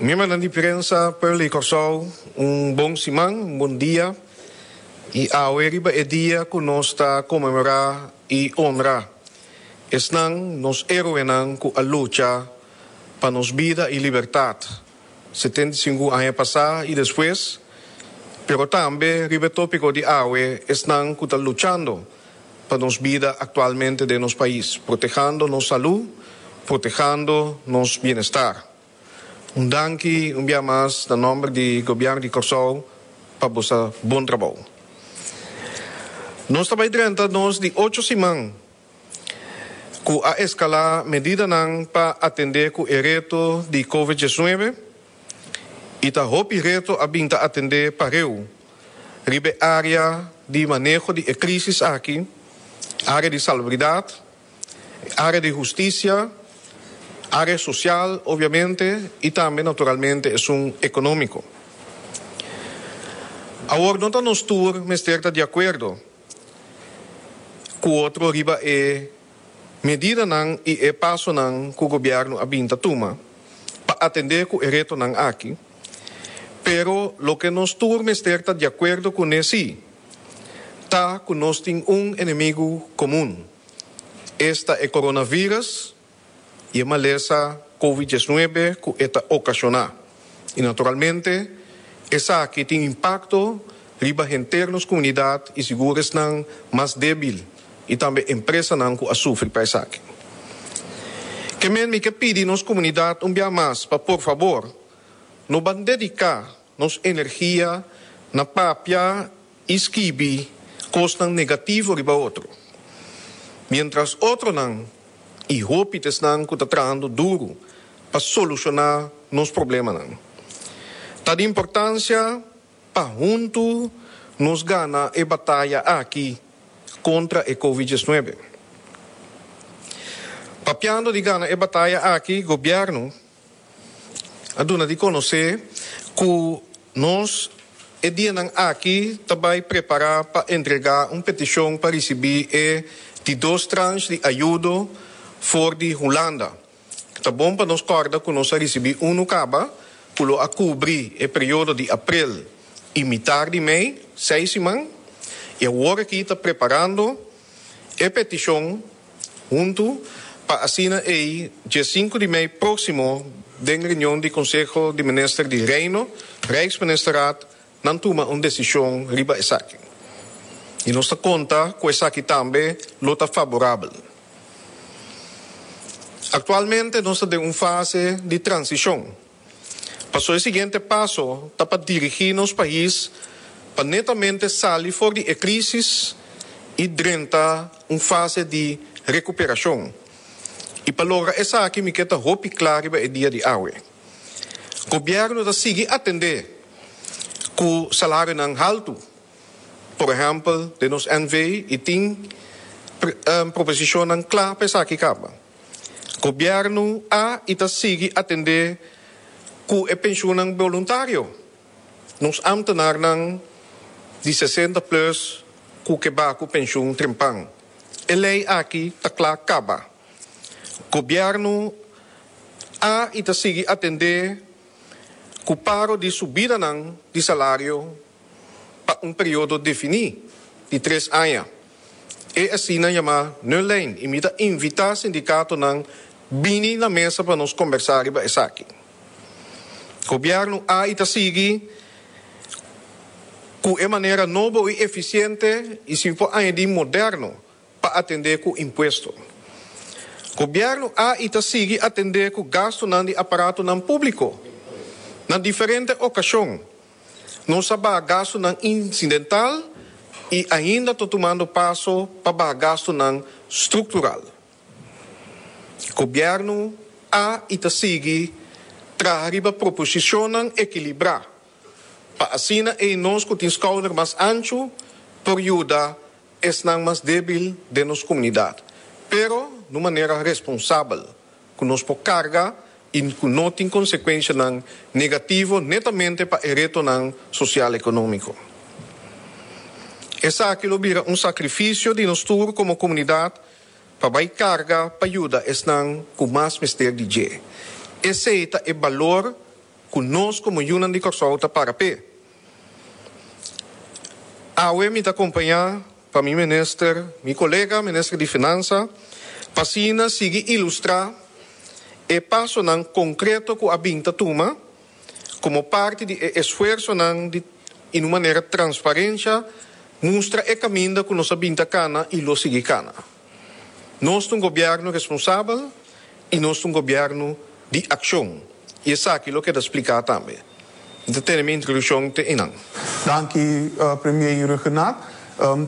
Miembronan di prensa, pueblo di Kòrsou, un bon siman, un bon dia. I awe riba e dia ku nos ta konmemorá i honra esnan, nos héroenan ku a lucha pa nos bida i libertat 75 aña pasá i despues, pero tambe riba e tópiko di awe esnan ku ta luchando pa nos bida aktualmente den nos pais, protehando nos salú, protehando nos bienestar. Un danki un bia mas na nòmber di Gobièrnu di Kòrsou pa boso bon trabou. Nos ta bai drenta nos di ocho siman ku a eskalá medidanan pa atendé ku e reto di Covid 19 i ta hopi reto a bin ta atendé pareu riba e área di maneho di e krísis aki, área di salubridat, área di hustisia, área sosial obviamente i tambe naturalmente esun ekonómiko. Awor no ta nos tur mester ta di akuerdo ku otro riba e medidanan i e pasonan ku gobièrnu a bin ta tuma pa atendé ku e retonan aki, pero loke nos tur mester ta di akuerdo kuné sí ta ku nos tin un enemigu komun, esta e coronavirus i e malesa Covid 19 ku e ta okashoná. I naturalmente esaki tin impakto riba henter nos komunidat i sigur esnan mas débil i tambe empresanan ku a sufri pa esaki. Ke men mi ke pidi nos komunidat un bia mas pa por fabor no ban dediká nos energia na papia i skibi kosnan negativo riba otro, miéntras otronan i hopi ta esnan ku ta trahando duru pa solushoná nos problemanan. Ta di importansia pa huntu nos gana e bataya aki kontra e Covid 19. Papiando di gana e bataya aki, gobièrnu a duna di konosé ku nos e dianan aki ta bai prepará pa entregá un petishon pa risibí e di dos transh di ayudo for di Hulanda. Ta bon pa nos kòrda ku nos a risibí unu kaba ku lo a kubri e periodo di aprel i mitar di mei, seis siman, i awor aki ta preparando e petishon huntu pa asina ei dje sinku di mei próksimo den reunion di Konseho di Minister di Reino, Rijksministerraad, nan tuma un desishon riba esaki. I nos ta konta ku esaki tambe lo ta faborabel. Aktualmente nos ta den un fase di transishon. Paso e siguiente paso ta pa dirigí nos pais pa netamente sali for di e krísis i drenta un fase di rekuperashon. I pa logra esaki mi ke ta hopi kla riba e dia di awe. Gobièrnu ta sigui atendé ku salarionan haltu, por ehèmpel den nos NV i tin proposishonnan kla pa esaki kaba. Gobièrnu a i ta sigui atendé ku e penshunnan boluntario. Nos ámtenarnan di 60 plùs ku ke ba ku penshun trempan. E lei aki ta kla kaba. Gobièrnu a i ta sigui atendé ku paro di subidanan di salario pa un periodo definí di tres aña. E asina yamá nullijn i mi ta invitá sindikatonan bini na mesa pa nos kombersá riba esaki. Gobièrnu a i ta sigui ku e manera nobo i efisiente i si mi por añadí moderno pa atendé ku impuesto. Gobièrnu a i ta sigui atendé ku gastunan di aparatonan públiko na diferente okashon. Nos a baha gastunan insidental i ainda ta tumando paso pa baha gastunan struktural. Gobièrnu a i ta sigui traha riba proposishonnan ekilibrá pa asina ei nos ku tin skouder mas anchu por yuda esnan mas débil den nos komunidat, pero na un manera responsabel ku nos por karga i ku no tin konsekuenshanan negativo netamente pa e retonan sosial-ekonómiko. Esaki lo bira un sakrifisio di nos tur komo komunidat pa bai karga pa yuda esnan ku mas mester di dje. Esei ta e balor. ku nos komo yunan di Kòrsou ta para p'e. Awe mi ta kompañá pa mi minister, mi kolega minister di Finansa, pa asina sigui ilustrá e pasonan konkreto ku a bin ta tuma komo parti di e esfuersonan di in un manera transparensha mustra e kaminda ku nos a bin ta kana i lo sigui kana. Nos ta un gobièrnu responsabel i nos ta un gobièrnu di akshon i esaki lo keda spliká tambe. Mi ta tene mi introdukshon te einan. Danki Premier Rhuggenaath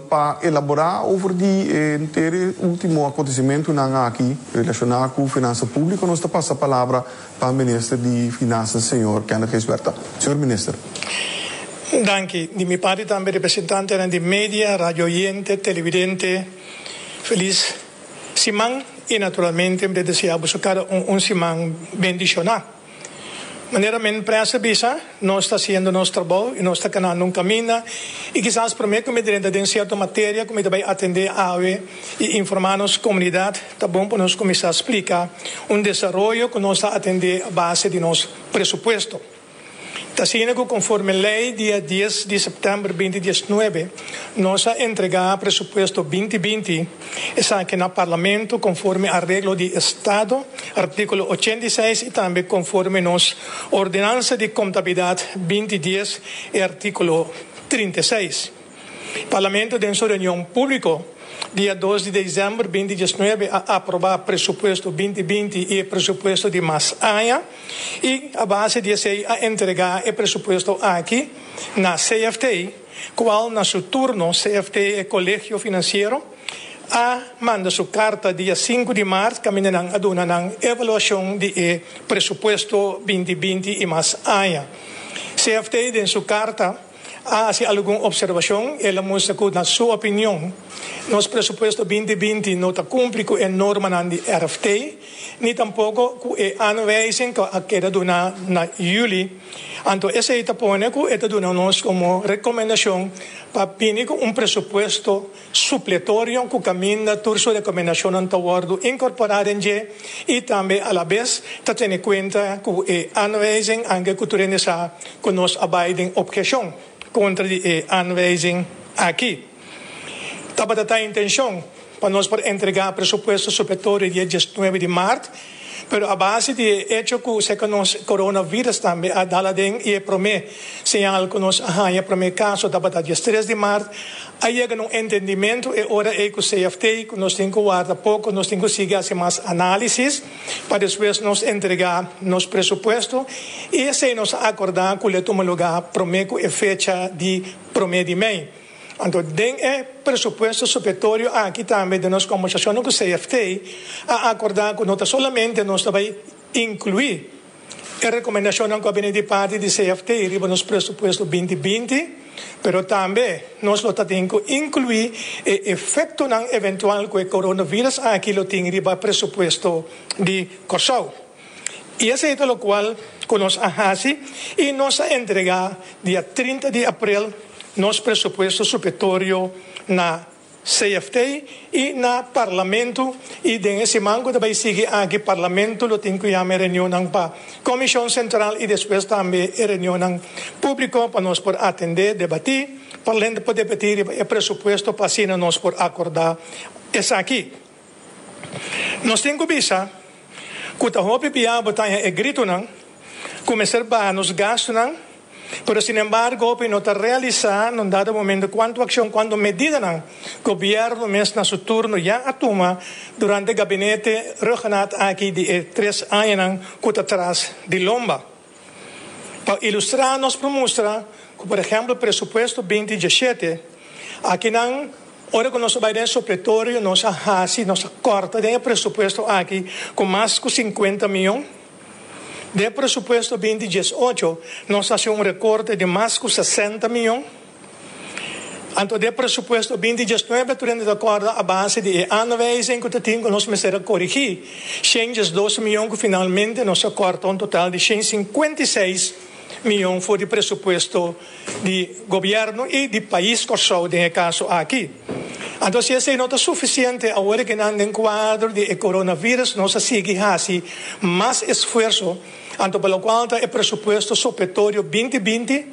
pa elaborá over di e henter e último akontesimentunan aki relashoná ku finansa públiko. Nos ta pasa palabra pa Minister di Finansa señor Kenneth Gijsbertha. Señor Minister. Danki. Di mi parti tambe representantenan di media, radio oyente, televidente, felis siman y naturalmente mi ta desea boso cada un un siman bendiciona. Manera men prensa bisa, nos ta haciendo nos trabou y nos ta canando un caminda y kisas prome cu mi drenta den cierto materia cu mi ta bay atende awe y informa nos comunidad, ta bon pa nos cuminsa splica un desaroyo cu nos ta atende a base di nos presupuesto. Ta asina ku konforme lei dia dies di sèptèmber 2019 nos a entregá presupuesto 2020, esaki na Parlamento konforme areglo di Estado, artíkulo 86 i tambe konforme nos Ordenansa di Kontabilidat 2010 e artíkulo 36. Parlamento den su reunion públiko dia 2 di desèmber 2019 a aprobá presupuesto 2020 i e presupuesto di mas aña i a base di esei a entregá e presupuesto aki na CFT, kual na su turno CFT e Kolegio Finansiero a manda su karta dia 5 di mart kaminda nan a duna nan evaluashon di e presupuesto 2020 i mas aña. CFT den su karta a hasi algun observashon. El a mustra ku na su opinion nos presupuesto 2020 no ta kumpli ku e normanan di RFT, ni tampoko ku e aanwijzing ku a keda duná na yüli. Anto esei ta pone ku e ta duna nos komo rekomendashon pa bini ku un presupuesto supletorio ku kaminda tur su rekomendashonnan ta wòrdu inkorporá den dje i tambe alabes ta tene kuenta ku e aanwijzing anke ku tur hende sa ku nos a bai den obheshon kontra di e aanwijzing aki. Tabata ta intenshon pa nos por entregá presupuesto supletorio dia 19 di mart, pero a base di e echo ku seka nos coronavirus tambe a dal aden i e promé señal ku nos a haña promé kaso tabata 13 di mart, a yega na un entendimentu e ora ei ku CFT ku nos tin ku warda poko, nos tin ku sigui hasi mas análisis pa despues nos entregá nos presupuesto i esei nos a akordá ku lo tuma lugá promé ku e fecha di promé di mei. Anto den e presupuesto supletorio aki tambe den nos kombersashonnan ku CFT a akordá ku no ta solamente nos ta bai inkluí e rekomendashonnan ku a bini di parti di CFT riba nos presupuesto 2020, pero tambe nos lo ta tin ku inkluí e efektonan eventual ku e coronavirus aki lo tin riba presupuesto di Kòrsou. I esei ta lokual ku nos a hasi i nos a entregá dia 30 di aprel nos presupuesto supletorio na CFT i na Parlamento i den e siman ku ta bai sigui aki Parlamento lo tin ku yama e reunionnan pa Komishon Sentral i despues tambe e reunionnan públiko pa nos por atendé, debatí, Parlamento por debatí riba e presupuesto pa asina nos por akordá esaki. Nos tin ku bisa ku ta hopi bia bo ta haña e gritonan ku mester baha nos gastunan, pero sinembargo hopi no ta realisá na un dado momento kuantu akshon, kuantu medidanan gobièrnu mes na su turno ya a tuma durante gabinete Rhuggenaath aki di e tres añanan ku ta tras di lomba. Pa ilustrá nos por mustra ku por ehèmpel presupuesto 2017 akinan ora ku nos a bai den supletorio nos a hasi, nos a kòrta den e presupuesto aki ku mas ku 50 mion. Den e presupuesto 2018 nos a hasi un rekorte di mas ku 60 mion. Anto den e presupuesto 2019 tur hende ta kòrda a base di e aanwijzing ku ta tin ku nos mester a korigí 112 mion ku finalmente nos a kòrta un total di 156 mion for di presupuesto di gobièrnu i di pais Kòrsou den e kaso aki. Anto si esei no ta sufisiente awor ke nan den kuadro di e coronavirus nos a sigui hasi mas esfuerso. Anto pa lokual ta e presupuesto supletorio 2020,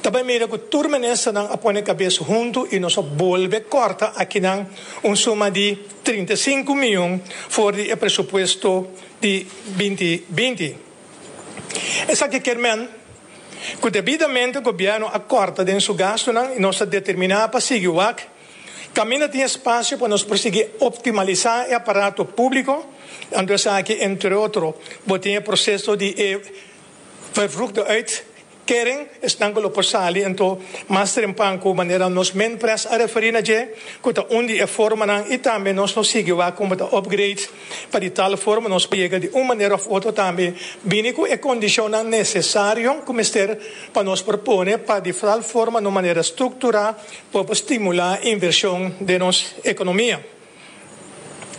ta bai mira ku tur ministernan a pone kabes huntu i nos a bolbe kòrta akinan un suma di 35 mion for di e presupuesto di 2020. Esaki kier men ku debidamente gobièrnu a kòrta den su gastunan i nos ta determiná pa sigui wak kaminda tin espasio pa nos por sigui optimalisá e aparato públiko. Anto esaki entre otro bo tin e proseso di e vervroegde uitkering, esnan ku lo por sali anto mas trempan ku manera nos Minpres a referí na dje, ku ta un di e formanan i tambe nos lo sigui wak kon bo ta upgrade pa di tal forma nos por yega di un manera òf otro tambe bini ku e kondishonnan nesesario ku mester pa nos por pone pa di tal forma na un manera strukturá por por stimulá invershon den nos ekonomia.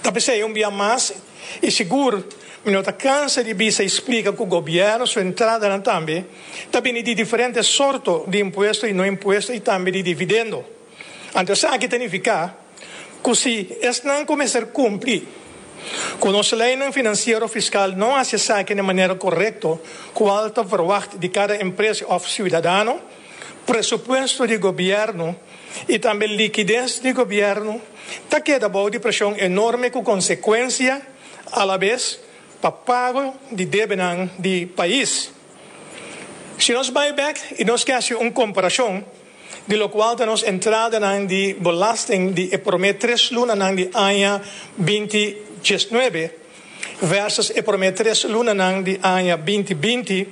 Ta p'esei un bia mas i sigur mi no ta kansa di bisa i splika ku gobièrnu su entradanan tambe ta bini di diferente sorto di impuesto i no impuesto i tambe di dividendo. Anto esaki ta nifiká ku si esnan ku mester kumpli ku nos leinan finansiero fiskal no hasi esaki na e manera korekto kual ta verwagt di kada empresa òf siudadano, presupuesto di gobièrnu i tambe likides di gobièrnu ta keda bou di preshon enorme ku konsekuensia alabes pa pago di debenan di pais. Si nos bai bèk i nos ke hasi un komparashon di lokual ta nos entradanan di belasting di e promé tres lunanan di aña 2019 versus e promé tres lunanan di aña 2020,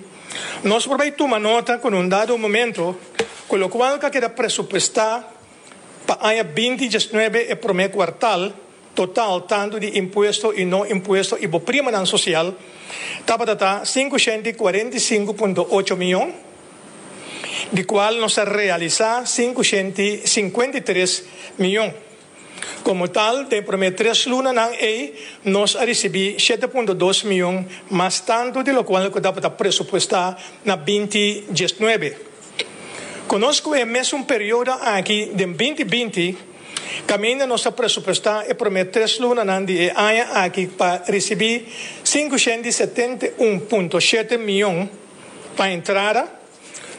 nos por bai tuma nota ku na un dado momento ku lokual ku a keda presupuestá pa aña 2019 e promé kuartal total tantu di impuesto i no impuesto i bo primanan sosial tabata ta 545.8 mion, di kual nos a realisá 553 mion. Komo tal, den promé tres lunanan ei nos a risibí 7.2 mion mas tantu di lokual ku tabata presupuestá na 2019. Konos ku e mesun periodo aki den 2020, kaminda nos a presupuestá e promé tres lunanan di e aña aki pa risibí 571.7 mion pa entrada,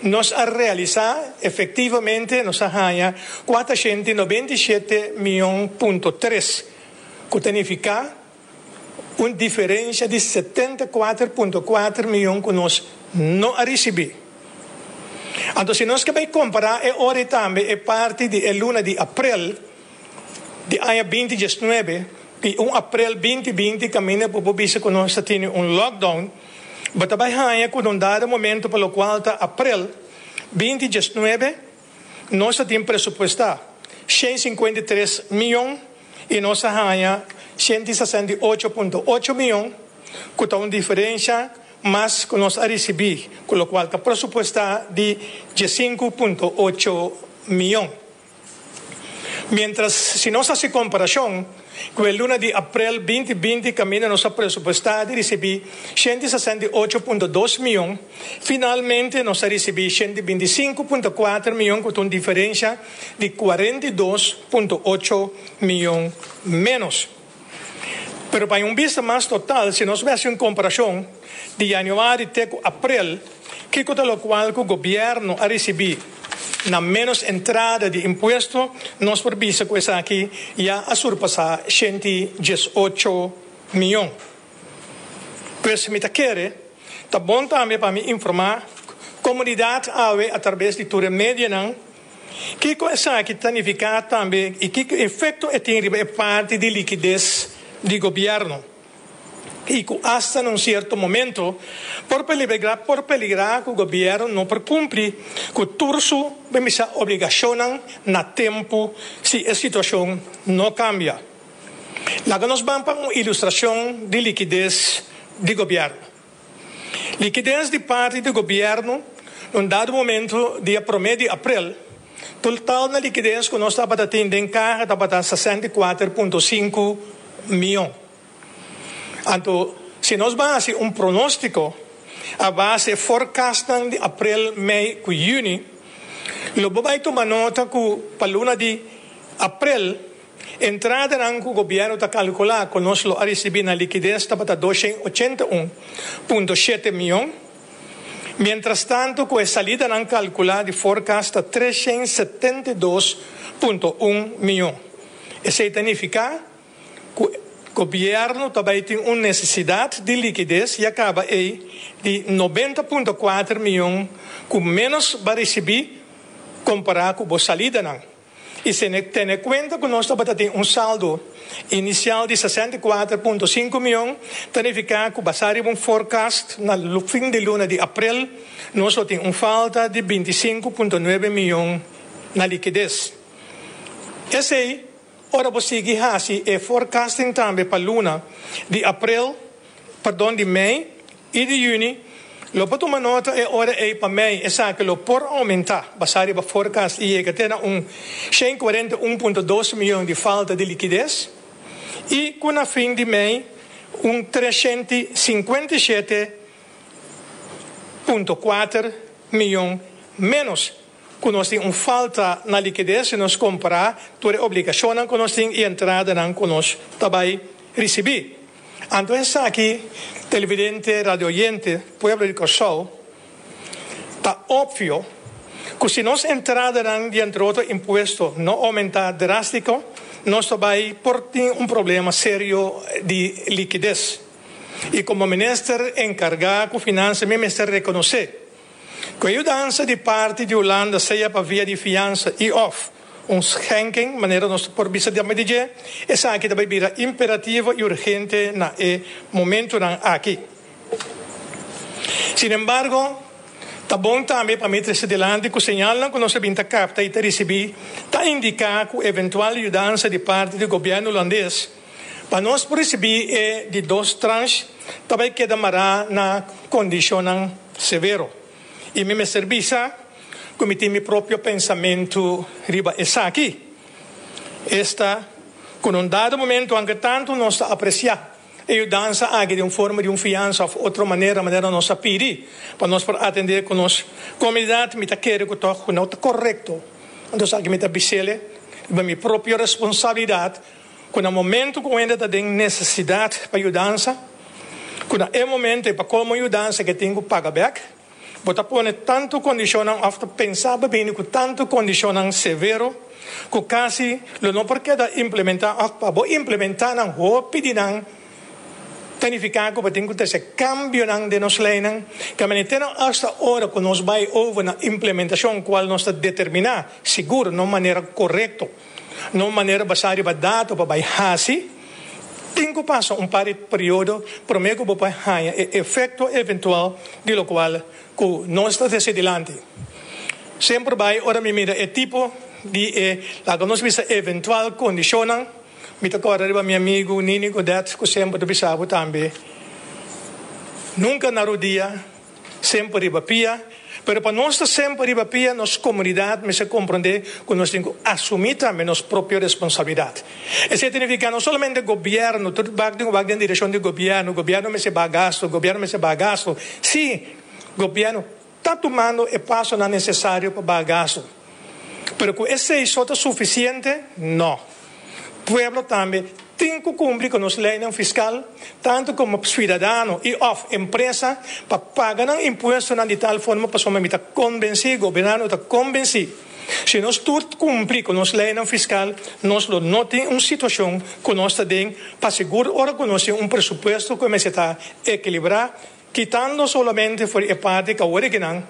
nos a realisá efektivamente nos a haña 497 mion punto tres, ku ta nifiká un diferensha di 74.4 mion ku nos no a risibí. Anto si nos ke bai kompará e ora ei tambe e parti di e luna di aprel di aña 2019 i un aprel 2020 kaminda bo por bisa ku nos ta tene un lockdown, bo ta bai haña ku na un dado momento pa lokual ta aprel 2019 nos ta tin presupuestá 153 mion i nos a haña 168.8 mion, ku ta un diferensha mas ku nos a risibí ku lokual ta presupuestá di 15.8 mion. Miéntras si nos hasi komparashon ku e luna di aprel 2020 kaminda nos a presupuestá di risibí 168.2 mion, finalmente nos a risibí 125.4 mion ku ta un diferensha di 42.8 mion ménos. Pero pa un bista mas total, si nos bai hasi un komparashon di yanüari te ku aprel, kiko ta lokual ku gobièrnu a risibí na ménos entrada di impuesto, nos por bisa ku esaki ya a surpasá 118 mion. Pues mi ta kere ta bon tambe pa mi informá komunidat awe atrabes di tur e medianan kiko esaki ta nifiká tambe i kiko efekto e tin riba e parti di likides di gobièrnu i ku asta na un sierto momento por peligrá por peligrá ku gobièrnu no por kumpli ku tur su bisa obligashonnan na tempu si e situashon no kambia. Laga nos ban pa un ilustrashon di likides di gobièrnu. Likides di parti di gobièrnu na un dado momento dia promé di aprel, total na likides ku nos tabata tin den kaha tabata 64.5 mion. Anto si nos ban hasi un pronóstiko a base e forecastnan di aprel, mei ku yüni, lo bo bai tuma nota ku pa luna di aprel. Entradanan ku gobièrnu ta kalkulá ku nos lo a risibí na likides tabata 281.7 mion, mientrastantu ku e salidanan kalkulá di forecast ta 372.1 mion. Esei ta nifiká ku gobièrnu ta bai tin un nesesidat di likides ya kaba ei di 90.4 mion ku ménos ba risibí kompará ku bo salidanan. I si tene kuenta ku nos tabata tin un saldo inisial di 64.5 mion, ta nifiká ku basá riba un forecast na fin di luna di aprel nos lo tin un falta di 25.9 mion na likides. Esei ora bo sigui hasi e forecasting tambe pa luna di aprel, pardon di mei i di yüni, lo por tuma nota e ora ei pa mei esaki lo por oumentá basá riba forecast i yega te na un 141.2 mion di falta di likides i ku na fin di mei un 357.4 mion ménos ku nos tin un falta na likides si nos kompará tur e obligashonnan ku nos tin i entradanan ku nos ta bai risibí. Anto esaki, televidente, radioyente, pueblo di Kòrsou, ta opvio ku si nos entradanan di entre otro impuesto no oumentá drástiko, nos ta bai por tin un problema serio di likides. I komo minister enkargá ku finansa mi mester rekonosé ku e yudansa di parti di Hulanda sea pa via di fiansa i òf un schenking, manera nos por bisa di dje, esaki ta bai bira imperativo i urgente na e momentunan aki. Sin embargo, ta bon tambe pa mi trese dilanti ku señalnan ku nos a bin ta kapta i ta risibí ta indiká ku eventual yudansa di parti di gobièrnu hulandes pa nos por risibí e di dos tranche ta bai keda mará na kondishonnan severo. I mi mester bisa ku mi tin mi propio pensamentu riba esaki. Esta ku na un dado momento anke tantu nos ta apresiá e yudansa aki den un forma di un fiansa òf otro manera, manera nos a pidi pa nos por atendé ku nos komunidat, mi ta kere ku tòg ku no ta korekto. Anto esaki mi ta bis'el riba mi propio responsabilidat ku na momento ku hende ta den nesesidat pa yudansa, ku na e momento e pa komo yudansa ke tin ku paga bèk, bo ta pone tantu kondishonnan òf ta pensa pa bini ku tantu kondishonnan severo ku kasi lo no por keda implementá òf pa bo implementá nan hopi di nan ta nifiká ku bo tin ku trese kambionan den nos leinan ke manera te nan asta ora ku nos bai over na implementashon kual nos ta determiná sigur na un manera korekto. Na un manera basá riba dato pa bai hasi, tin ku pasa un par di periodo promé ku bo por haña e efekto eventual di lokual ku nos ta trese dilanti. Semper bai ora mi mira e tipo di e, laga nos bisa eventual kondishonnan, mi ta kòrda riba mi amigu Nini Godet ku semper ta bisa bo tambe, Nunka na rodia. Semper riba pia. Pero pa nos ta semper riba pia, nos komunidat mester komprondé ku nos tin ku asumí tambe nos propio responsabilidat. Esei ta nifiká no solamente gobièrnu, tur bak tin ku bak den direkshon di gobièrnu, gobièrnu mester baha gastu, gobièrnu mester baha gastu. Sí, gobièrnu ta tumando e pasonan nesesario pa baha gastu. Pero ku esei so ta sufisiente? No. Pueblo tambe tin ku kumpli ku nos leinan fiskal, tantu komo suidadano i òf empresa, pa paga nan impuestonan di tal forma pasobra mi ta konbensí, gobièrnu ta konbensí, si nos tur kumpli ku nos leinan fiskal, nos lo no tin un situashon ku nos ta den pa sigur ora ku nos tin un presupuesto ku mester ta ekilibrá. Kitando solamente for di e parti ku awor aki nan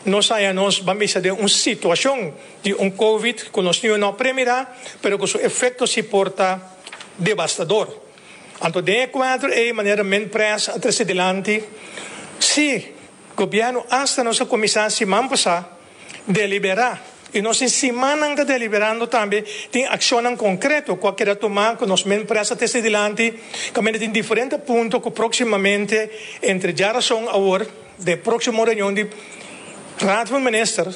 nos haña nos ban bisa den un situashon di un covid ku nos niu no a premirá pero ku su efekto si por ta devastador. Anto den e kuadro ei manera Minpres a trese dilanti si gobièrnu asta nos a kuminsá siman pasá Deliberá. I nos tin simannan ta deliberando tambe. Tin akshonnan konkreto ku a keda tumá ku nos men presa ta esta dilanti. Kaminda tin diferente punto ku próksimamente entre djarason awor den próksimo reunion di Raad van Minister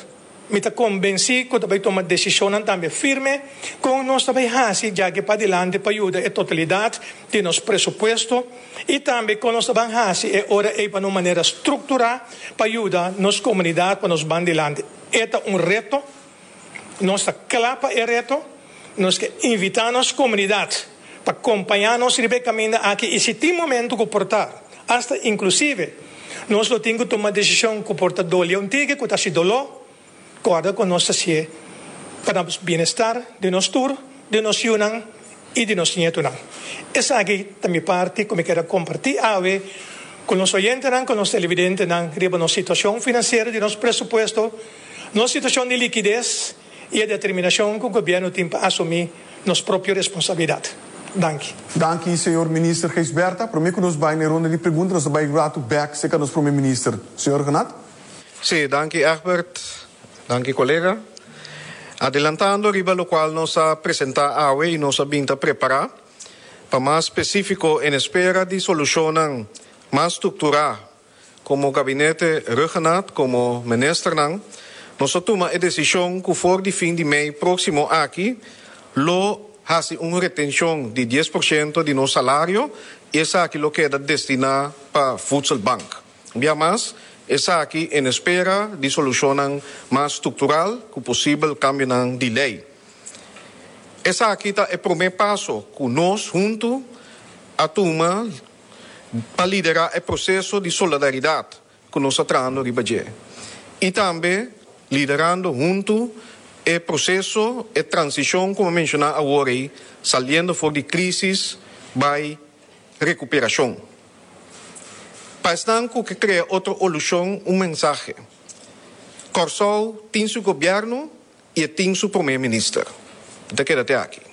mi ta konbensí ku ta bai tuma desishonnan tambe firme kon nos ta bai hasi djaki padilanti pa yuda e totalidat di nos presupuesto. I tambe kon nos ta ban hasi e ora ei pa na un manera strukturá pa yuda nos komunidat pa nos ban dilanti. E ta un reto, nos ta kla pa e reto, Nos ke invitá nos komunidat pa kompañá nos riba e kaminda aki i si tin momentu ku por ta, asta inklusive, nos lo tin ku tuma desishon ku por ta doli un tiki, ku ta hasi doló, kòrda ku nos ta hasié pa nos bienestar di nos tur, di nos yunan i di nos nietunan. Esaki ta mi parti ku mi kier a kompartí awe ku nos oyentenan, ku nos televidentenan riba nos situashon finansiero di nos presupuesto, nos situashon di likides, i e determinashon ku gobièrnu tin pa asumí nos propio responsabilidat. Danki. Danki, señor Minister Gijsbertha. Promé ku nos bai na e ronda di pregunta, nos ta bai ratu bèk serka nos Prome Minister. Señor Rhuggenaath. Sí, danki Egbert. Danki kolega. Adelantando riba lokual nos a presentá awe i nos a bin ta prepará, pa mas spesífiko en espera di solushonnan mas strukturá Komo gabinete Rhuggenaath komo ministernan nos a tuma e desishon ku for di fin di mei próksimo aki lo hasi un retenshon di 10% di nos salario i esaki lo keda destiná pa Voedselbank. Un bia mas, esaki en espera di solushonnan mas struktural ku posibel kambionan di lei. Esaki ta e promé paso ku nos huntu a tuma pa liderá e proseso di solidaridat ku nos ta trahando riba dje i tambe liderando huntu e proseso, e transishon ku mi a menshoná awor ei, saliendo for di krísis bai rekuperashon. Pa esnan ku ke krea otro olushon un mensahe, Kòrsou tin su gobièrnu i e tin su promé minister. Mi ta keda te aki.